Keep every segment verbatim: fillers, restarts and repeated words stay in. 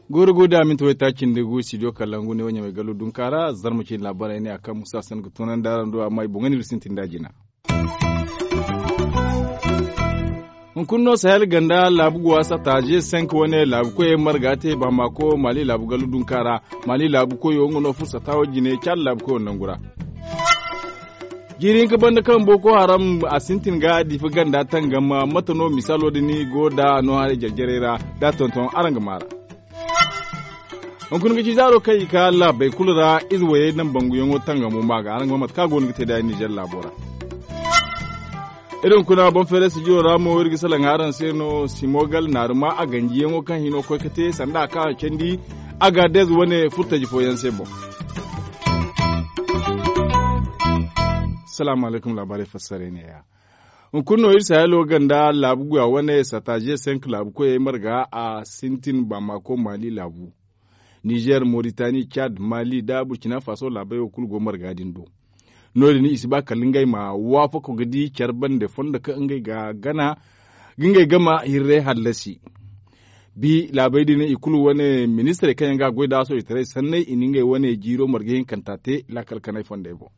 Gooro go da minti waytaaci nda gu studio kalangu ne wo ɲamay gallo dunkaara zarma cine laabaarey ne a kaŋ musa sanda ga toonandi araŋ do amma i boŋ ga ne iri sintin da jina. Hunkuna no sahel ganda laabu guwa sata g cinq wane laabu koyey marga te bamako mali laabu gallo dunkaara. Mali laabu koyo nga no furo sata wo jine caada laabu koyo nangu ra. Jiiri hinka banda kaŋ boko haram a sintin ga difa ganda tangam mate no misaalo din go da no haray jarjarey ra da tonton araŋ ga maara. Hunkuna ga ci zaaro kaŋ i ka laabey kulu ra ize wayey naŋ banguyaŋo tangamo ma ga araŋ ga ma mate kaŋ a go no ga te da nizer laabo ra. Iri hunkuna boŋ feeray sijiro ra mo iri ga salaŋ araŋ se no simogal naaruma a ganjiyaŋo kaŋ hino koy ga te sanda a kaŋ a candi. Agaadez wane furtaji fooyaŋ se boŋ. Salaamu alaykum laabaarey fassaray ne ya. Hunkuna no iri sahelo ganda laabu guya wane sata g cinq laabu koyey marga a sintin bamako mali laabu. Nizer moritani cad mali da burkina faso laabey wo kulu go marga din do. No- din i si ba kala ngey ma waafako ga di care bande fondo kaŋ ngey ga gana ga ngey gama hirray hallasi. Bi laabey din i kulu wane ministirey kaŋ yaŋ ga a goy da a soojitaray sanney i na ngey wane jiiro marga hinkanta te laakal kanay fondey boŋ.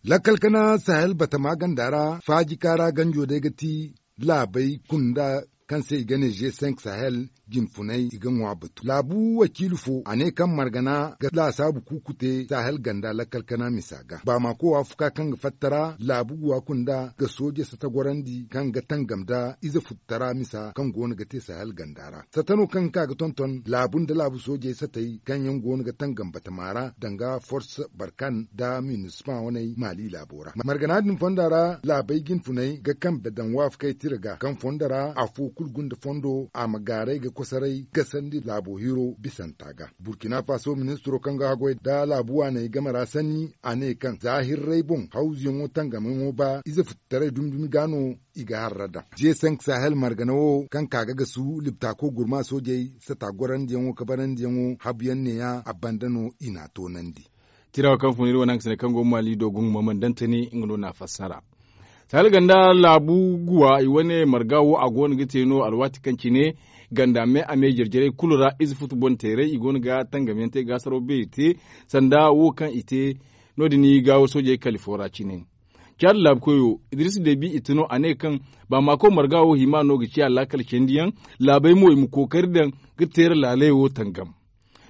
Lakkal kana sahel batama ganda ra faaji kaara ganjo day ga ti laabey kunda kaŋ se i ga ne g cinq sahel jinfunay i ga ŋwa batu laabu wakiilu fo a ne kaŋ margana ga laasaabu kuuku te sahel ganda lakkal kana misa ga baamako waafuka kaŋ ga fattara laabu guwa kunda ga sooje sata gorandi kaŋ ga tangam nda ize futtara misa kaŋ go no ga te sahel ganda ra sata no kaŋ ga ka ga tonton laabu nda laabu soojey satey kaŋ yaŋ go no ga tangam batama ra danga forse barkan nda minisma waney maali laabo ra margana din fonda ra laabey jinfunay ga kambe daŋ waafakey tira ga kaŋ fondo ra afo kulu gunda fondo a ma gaaray ga kosoray gasandi laabo hiro bisanta ga burkina faso ministiro kaŋ ga haggoy nda laabu waaney game ra sanni a ne kaŋ za hirray boŋ hawzuyaŋo tangamayaŋo ba ize futtaray dumi dumi ga no i ga harra daŋ g cinq sahel margana wo kaŋ ka ga gasu libtaako gurma soojey sata gorandiyaŋo kabarandiyaŋo habuyaŋ neeya a banda no i n'a toonandi. Tira wo kaŋ fun iri wane haŋ ga sine kaŋ go maali do gungu ma man dantani nga no n'a fassara. Sahel ganda laabu guwa i wane marga wo a go no ga te no alwaati kaŋ cine ganda me a me jarjarey kulu ra ize futu boŋ teerey i go no ga tangamyaŋ te gaasaraw beeri te sanda wo kaŋ i te no- din i gaawo soojey kali fo ra cine. Caada laabu koyo idris debi i ti no a ne kaŋ baamako marga wo hima no ga ciya laakal candiyaŋ laabey mo i ma kookari daŋ ga teera laaley wo tangam.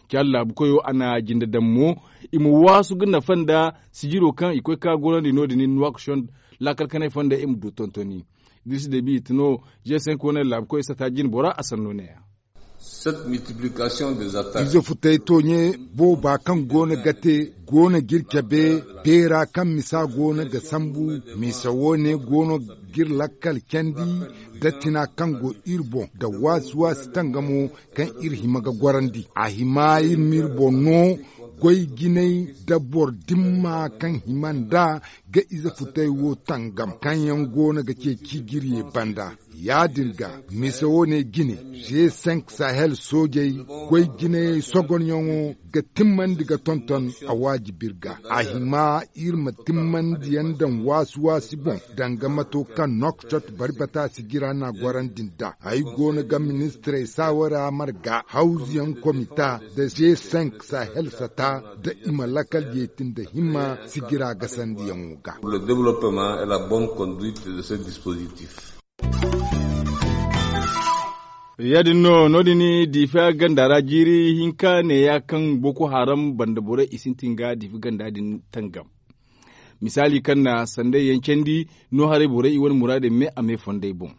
Caada laabu koyo a na jinde daŋ mo i ma waasu ga nafa nda sijiro kaŋ i koy ka gorandi no- din nuwaakoshoŋ laakal kanay fonda i ma du tontoni. Idris debi i ti no g cinq wane laabu koyo sata jine bora a sanno ne- ya. Ize futay tooɲe booba kaŋ go no ga te go no ga iri cabe beera kaŋ misa go no ga sambu misa wo- ne go no ga iri lakkal candi nda tina kaŋ go iri boŋ nda waasi waasi tangamo kaŋ iri hima ga gorandi a hima iri ma iri boŋ no goy jinay nda boro dimma kaŋ hima nda ga ize futay wo tangam kaŋ yaŋ go no ga ceeci jirye banda. Ya- din ga mise wo- ne jine g cinq sahel soojey goy jinayey sogonyaŋo ga timmandi ga tonton a waajibi iri ga a hima iri ma timmandiyaŋ daŋ waasi waasi boŋ danga mato kaŋ nokcot bari bata sijira n'a gorandi nd'a ay go no ga ministirey saawara marga hawzuyaŋ komita nda g cinq sahel sata nda i ma lakkal jeeti nda himma sijira gasandiyaŋo ga. Ya- din no no- din diifa ganda ra jiiri hinka neeya kaŋ boko haram banda borey i sintin ga diifa ganda din tangam. Misaali kaŋ na sanday yaŋ candi no haray borey i wane muraadey me a me fondey boŋ.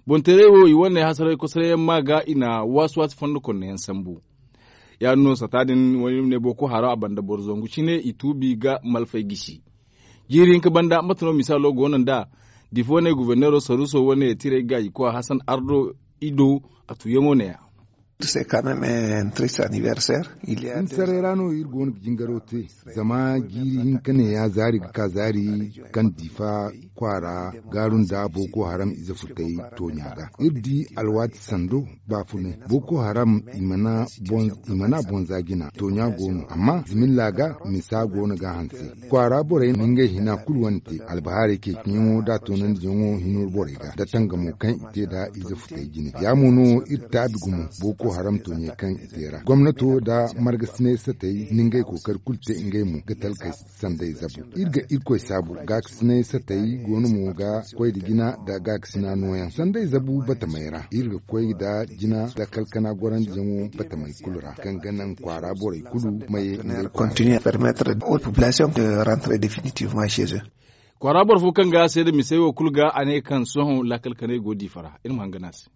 Boŋ teerey wo i wane hasaray kosoray yaŋ ma ga i na waasi waasi fondo konno yaŋ sambu. Ya- din no sata din wayne boko haram a banda boro zangu cine i tuubi ga malfay gisi. Jiiri hinka banda mate no misaalo go no nd'a diifa wane guberneero saruuso wane tirey ga i koy hasan ardo i do a tuuyaŋo neeya. Saray ra no iri go no ga jingaro te. Zama jiiri hinka ne ya zaari ga ka zaari kaŋ difa kwaara gaaru nda boko haram ize futay tooɲa ga iri di alwaati sando. Baafunay boko haram i mana bonza jina tooɲa go no amma zimilla ga misa go no ga hanse. Kwaara borey na ngey hina kulu wane te albahaarey kay kaŋ yaŋo da toonandiyaŋo hino borey ga da tangamo kaŋ i te nda ize futay jine ya mo no iri taabi gumo. Boko haram tooɲey kaŋ i te ra gomnato nda margasinay satey na ngey kookari kulu te ngey mo ga talkey sanday zabu. Iri ga irkoy saabu gaakasinay satey go no mo ga koy nda jina nda gaakasina nooyaŋ sanday zabu batamey ra iri ga koy nda jina nda kalkana gorandiyaŋo batamey kulu ra kaŋ ga naŋ kwaara borey kulu ma ye ngey kwaara. Kwaara boro fo kaŋ ga a seeda misey wo kulu ga a ne kaŋ sohõ laakal kanay go diifa ra iri ma hangan a se.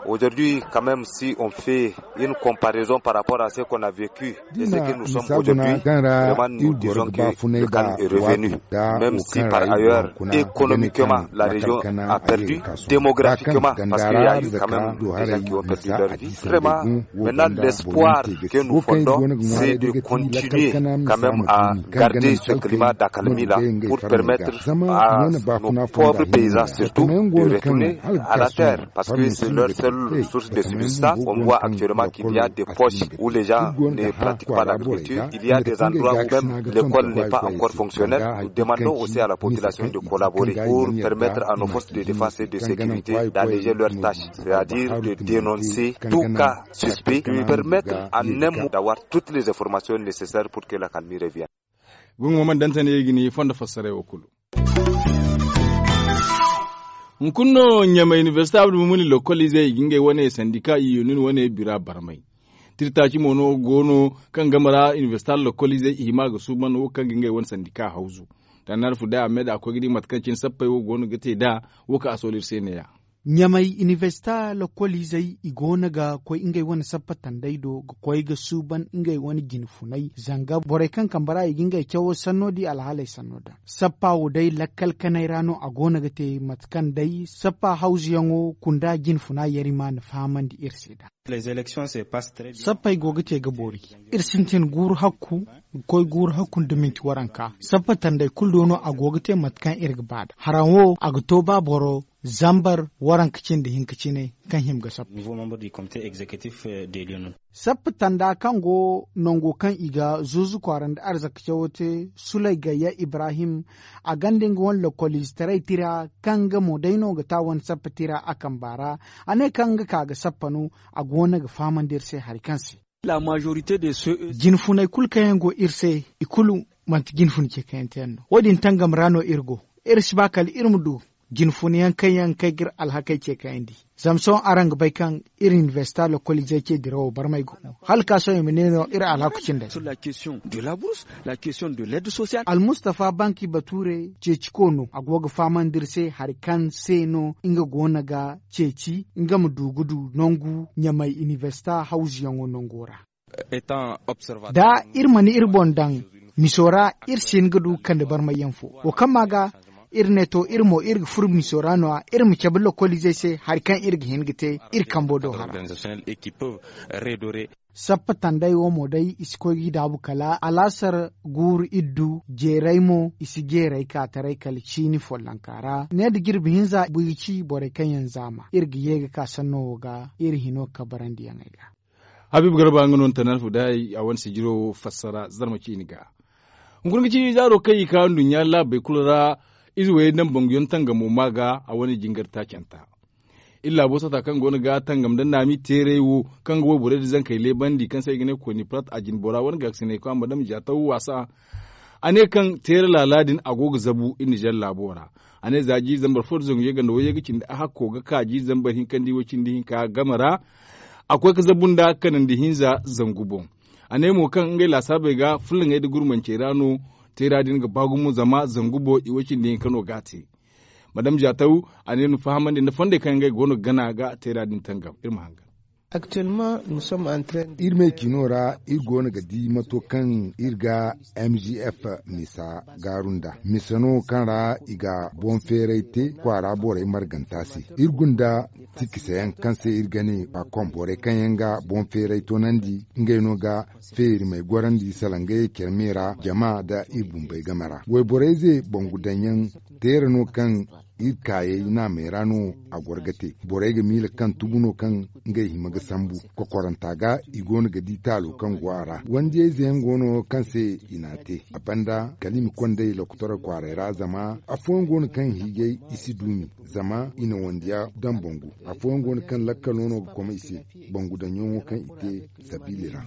Aujourd'hui, quand même, si on fait une comparaison par rapport à ce qu'on a vécu et ce que nous sommes aujourd'hui, vraiment nous disons que le calme est revenu. Même si par ailleurs économiquement la région a perdu, démographiquement, parce qu'il y a eu quand même des gens qui ont perdu leur vie, vraiment maintenant l'espoir que nous fondons, c'est de continuer quand même à garder ce climat d'accalmie là pour permettre à nos pauvres paysans surtout de retourner à la terre, parce que c'est leur seule source de subsistance. On voit actuellement qu'il y a des poches où les gens ne pratiquent pas l'agriculture, il y a des endroits où même l'école n'est pas encore fonctionnelle. Nous demandons aussi à la population de collaborer pour permettre à nos forces de défense et de sécurité d'alléger leurs tâches, c'est-à-dire de dénoncer tout cas suspect, de permettre en un mot d'avoir toutes les informations nécessaires pour que l'accalmie revienne. Gungu ma mana dantane i ga ni fondo fassaray wo kulu. Hunkuna no ɲamay université abdu mumuni lokolize i ga ngey wane sandika i yunun wane bira barmay. Tirtaci mo no go no kaŋ game ra université lokolize i hima ga suuban wo kaŋ ga ngey wane sandika hawzu. Tannar fu day a me da a koy ga di mate kaŋ cine sappey wo go no ga te nd'a. Wo kaŋ a soolu iri se ne- ya. Ɲamay inibersita lokoliizey i go no ga koy ngey wane sappa tandey do ga koy ga suuban ngey wane jine funay zanga borey kaŋ kambe ra i ga ngey cawo sanno di alhaaley sanno daŋ. Sappa wo day lakkal kanay ra no a go no ga te mate kaŋ day sappa hawzuyaŋo kunda jine funa yari ma na fahamandi iri se da. Sappey go ga te ga boori. Iri sintin guuru hakku ga koy guuru hakku nda minti waranka sappa tandey kulu do no a go ga te mate kaŋ iri ga ba da haraŋ wo a ga to ba boro zambar waranka cindi hinka cine kaŋ hima ga sappa. Sappa tanda kaŋ go nango kaŋ i ga zuuzu kwaara nda arzaka cawo te sulay gayya ibrahim a gonda nga wane lokoliizetaray tira kaŋ nga mo day no ga ta wane sappa tira a kamba ra. A ne kaŋ nga ka ga sappa no a go no ga fahamandi iri se hari kaŋ se. Jine funey kulu kaŋ yaŋ go iri se i kulu manti jine funa ce kaŋ yaŋ te yaŋ no wo- din tangam ra no iri go. Iri si ba kala iri ma du jine funa yaŋ kaŋ yaŋ kay ga iri alhakey ce kaŋ yaŋ di. Zama sohõ araŋ ga bay kaŋ iri inibersita lokoliizey ce dirawo barmay go no hala ka sohõ i ma ne no iri alhaku cindey. Almustafa banki bature ceeci ko no a go ga fahamandi iri se hari kaŋ se no nga go no ga ceeci nga ma du ga du nangu ɲamay inibersita hawzuyaŋo nango ra. Da iri mana iri boŋ daŋ miso ra iri si hin ga du kande barmayyaŋ fo wo kaŋ ma ga iri ne to iri mo iri ga furo miso ra no- ya iri ma cabe lokoliizey se hari kaŋ iri ga hin ga te iri kambo do hara. Sappa tandey wo mo day i si koy ga i daabu kala alaasar guuru iddu jeeray mo i si jeeray ka taray kala ciini follonka ra ne nda jirbi hinza buyi ci borey kaŋ yaŋ zaama iri ga ye ga ka sanno wo ga iri hino kabarandiyaŋey ga. Habiibu garba nga no ni tana alfu day a wane sijiro fassara zarma ciini ga. Hunkuna ga ci zaaro kaŋ i ka nduɲɲa laabey kulu ra. Ize wayey naŋ banguyaŋ tangamo ma ga a wane jingar taacanta. Iri laabo sata kaŋ go no ga tangam nda naami teeray wo kaŋ ga wayborey nda zankey leebandi kaŋ se i ga ne kooni plat a jine bora wane gaakasinay kwa madam jaataw waasa. A ne kaŋ teera laala din a go ga zabu iri nizer laabo ra. A ne za jiiri zambar fo nda zangu yaganda wayye ga cindi a hakko ga ka jiiri zambar hinka nda i way cindi hinka game ra. A koy ga zabu nda kanandi hinza zangu boŋ. A ne mo kaŋ ngey laasaabey ga fullaŋey nda gurmancey ra no teera din ga ba gumo zama zangu boŋ i way cindi hinka no ga a te. Madam jaataw a ne ni fahamandi nda fondey kaŋ ngey go no ga gana ga teera din tangam iri ma hangan. Iri me ciino ra iri go no ga di mato kaŋ iri ga m g f misa gaaru nda mise no kaŋ ra i ga boŋ feeray te kwaara borey marganta se. Iri gunda tikkiseyaŋ kaŋ se iri ga ne a kom borey kaŋ yaŋ ga boŋ feeray toonandi ngey no ga feerimey gorandi sala ngey care me ra jama nda iri bumbey game ra wayborey ze bangu daŋ yaŋ teera no kaŋ iri kaayey naamey ra no a goro ga te. Borey ga miila kaŋ tubu no kaŋ ngey hima ga sambu kokoranta ga i go no ga di taalo kaŋ go a ra wandiyayze yaŋ go no kaŋ se i n'a te a banda kala i ma konday lokotorey kwaaray ra zama afooyaŋ go no kaŋ hiijay i si duumi zama i na wandiya daŋ bangu. Afooyaŋ go no kaŋ lakkalo no ga koma i se bangu daŋyaŋo kaŋ i te sabiili ra.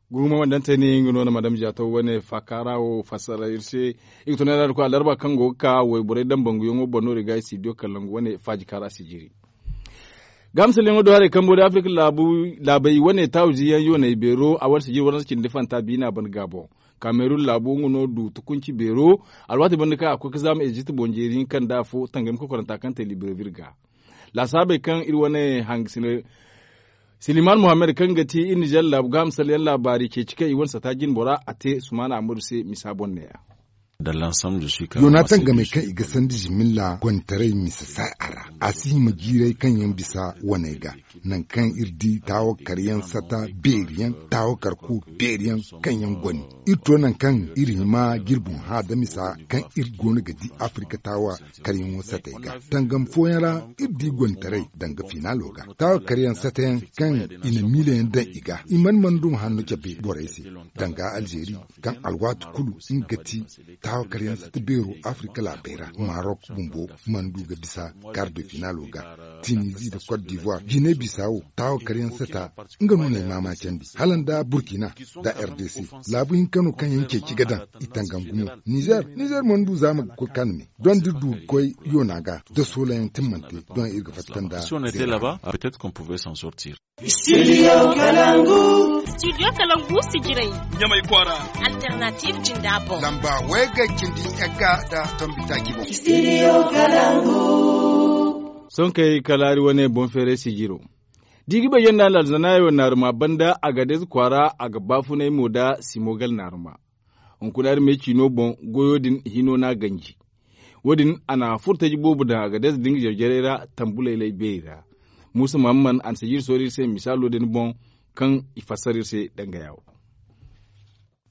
Gumo wandantey ne nga no na madam jato wane faakaara wo fassara iri se. I ga tunay ra da koy alarba kaŋ go ga ka wayborey daŋ banguyaŋo boŋ no iri ga i si diyo kalangu wane faaji kaara si jiri. Gaamsaliyaŋo do haray kambo da afirka laabay wane taawu ziyaŋ yoonay beero a wane si jiri waransa cindi fanta biina ban gaabo. Kamerun laabo nga no du tukunci beero alwaati banda kaŋ a koy ga zaama ezipt boŋ jeeri hinka nda afo tangami kokoranta kaŋ te libreville ga laasaabey kaŋ iri wane hangasine siliman muhammad kaŋ ga ti iri nizer laabu gaaham salyaŋ laabaari ceeci kaŋ i wane sata jinbora a te sumaana ammadu se misa boŋ neeya. Yoona tangamey kaŋ i ga sandi zimilla gonitaray misa saay a ra a si hima jiiray kaŋ yaŋ bisa waney ga. Nangu kaŋ iri di taawakar yaŋ sata beeri yaŋ taawakar ku beeri yaŋ kaŋ yaŋ goni iri to nangu kaŋ iri hima jirbi hã da misa kaŋ iri go no ga di afirka taawa karyaŋo satey ga tangam fooyaŋ ra iri di gonitaray danga finaalo ga taawa karyaŋ satayaŋ kaŋ i na miila yaŋ daŋ i ga i mana mana duma hanno cabe borey se danga alzeeri kaŋ alwaati kulu nga ga ti taawa karyaŋ sata beero afirka laabey ra marok bumbo mana du ga bisa kar de finaalo ga tinizi nda cote d'ivoire gine bisa wo taawa karyaŋ sata nga no na ay maamaacandi hala nda burkina nda rdc laabu hinka no kaŋ yaŋ ceeci ga daŋ i tangam gumo nizer nizer mana du za ma ga koy kaŋ me doŋ da iri du ga koy yoona ga da soolayaŋ timmante doŋ iri ga fatta nda zeera. Studio kalangu sijiray ɲamay kwaara. Alternative jinda boŋ lamba way ga cindi yagga nda tombi taaci boŋ. Sohõ kay kala hari wane boŋ feeray sijiro da i ga bay yaŋ nda alzanaayo naaruma banda a ga deeze kwaara a ga baafunay mo nda simogal naaruma. Hunkuna hari me ciino boŋ goyo din hino no a ganji. Wo- din a na furtaji boobo daŋ a ga deeze din ga jare-jarey ra tambu laylay beeri ra. Muusa mahamman a na sijiri soori iri se misaalo din boŋ kaŋ i fassara iri se dangaya wo.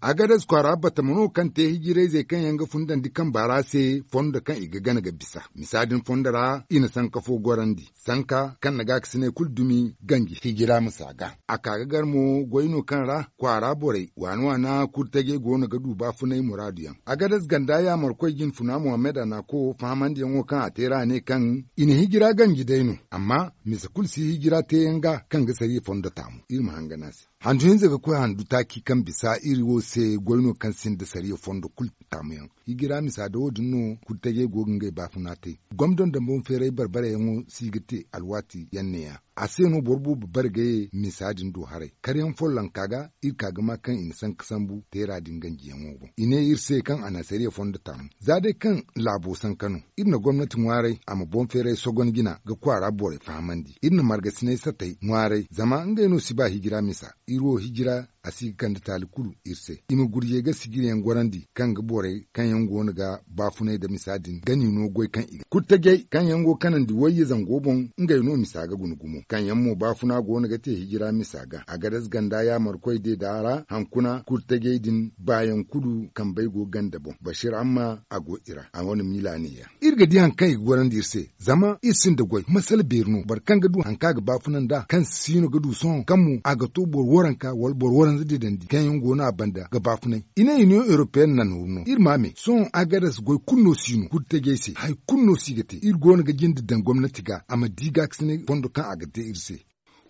Agades kwaara batama no kaŋ te hijirayzey kaŋ yaŋ ga fundandi kamba ra se fondo kaŋ i ga gana ga bisa misa din fondo ra i na sanka fo gorandi sanka kaŋ na gaakasinay kulu dumi ganji hijira misa ga. A ka ga gar mo goy no kaŋ ra kwaara borey waana waana kurtajey go no ga du baafunay muraadu yaŋ. Agades ganda yaamarkoy jinfuna muhammad a na a ko fahamandiyaŋo kaŋ a te ra a ne kaŋ i na hijira ganji day no amma misa kulu si hijira teeyaŋ ga kaŋ ga sariya fondo taamu iri ma hangan a se. Handu hinza ga koy handu taaci kaŋ bisa iri wo se goy no kaŋ sinda sariya fondo kulu taamuyaŋ. Hijira misa da wo- din no kurtajey go ga ngey baafuna te. Gomdo nda boŋ feeray barbarayaŋo si ga te alwaati yaŋ neeya. A se no boro boobo bare ga ye misa din do haray karyaŋ follonka ga iri ka ga ma kaŋ i na sanka sambu teera din ganjiyaŋo boŋ i ne iri se kaŋ a na sariya fondo taamu za day kaŋ laabo sanka no iri na gomnati ŋwaaray a ma boŋ feeray sogon jina ga kwaara borey fahamandi iri na margasinay satay ŋwaaray zama ngey no si ba hijira misa. Iri wo hijira a si ga kande taali kulu iri se i ma gurjey ga sijiriyaŋ gorandi kaŋ ga borey kaŋ yaŋ go no ga baafunay nda misa din gani no goy kaŋ i ga kurtajey kaŋ yaŋ go kanandi wayye zango boŋ ngey no misa ga guna gumo kaŋ yaŋ mo baafuna go no ga te hijira misa ga a ga dasa ganda yaamarkoy deeda ra hankuna kurtajey din baayaŋ kulu kambey go ganda boŋ bashir amma a go i ra a wane miila neeya. Iri ga di hari kaŋ i ga gorandi iri se zama iri sinda goy masala beeri no boro kaŋ ga du hari kaŋ a ga baafuna nd'a kaŋ siino ga du sohõ kaŋ mo a ga to boro waranka wala boro waranza deedandi kaŋ yaŋ go no a banda ga baafunay. I ne union européenne na nooru no iri ma me sohõ agadas goy kulu no si no kurtajey se hari kulu no si ga te iri go no ga jinde daŋ gomnati ga a ma di gaakasinay fondo kaŋ a ga te iri se.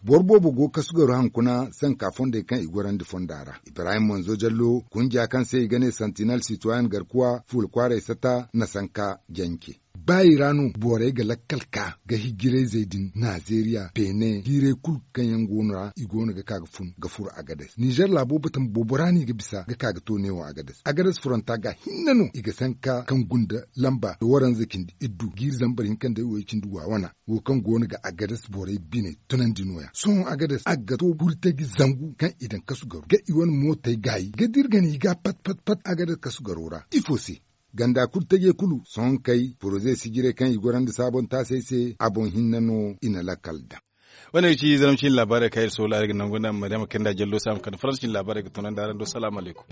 Boro boobo go kasu garo hankuna sanka fondey kaŋ i gorandi fonda ra ibrahim manzo jallo kunja kaŋ se i ga ne santinal sitoyen garkuwa fuula kwaaray sata na sanka jance. Ba i ra no borey ga lakkal ka ga hijirayzey din nazeeriya beene hiiray kulu kaŋ yaŋ go no ra i go no ga ka ga fun ga furo agades nizer laabo batama boobo ra no i ga bisa ga ka ga to neewo agades agades furanta ga hinne no i ga sanka kaŋ gunda lamba waranza cindi iddu jiiri zambar hinka nda way cindi wa wana wo kaŋ go no ga agades borey biney tunandi nooya sohõ agades a ga to burtaji zangu kaŋ i daŋ kasu garo ga i wane mootey gaayi ga da iri gana i ga pat pat pat agades kasu garo ra ifo se ganda kulu taje kulu sohonkey poroze sijiray kaŋ i gorandi saabontaasey se a boŋ hinne no i na lakkal daŋ. Wane ga ci zaramcin laabaarey kaŋ iri soola iri ga nangu nda maryama kaŋ nda jallo se a ma kande faransa cin laabaarey ga tunandi araŋ do salaamu alaykum.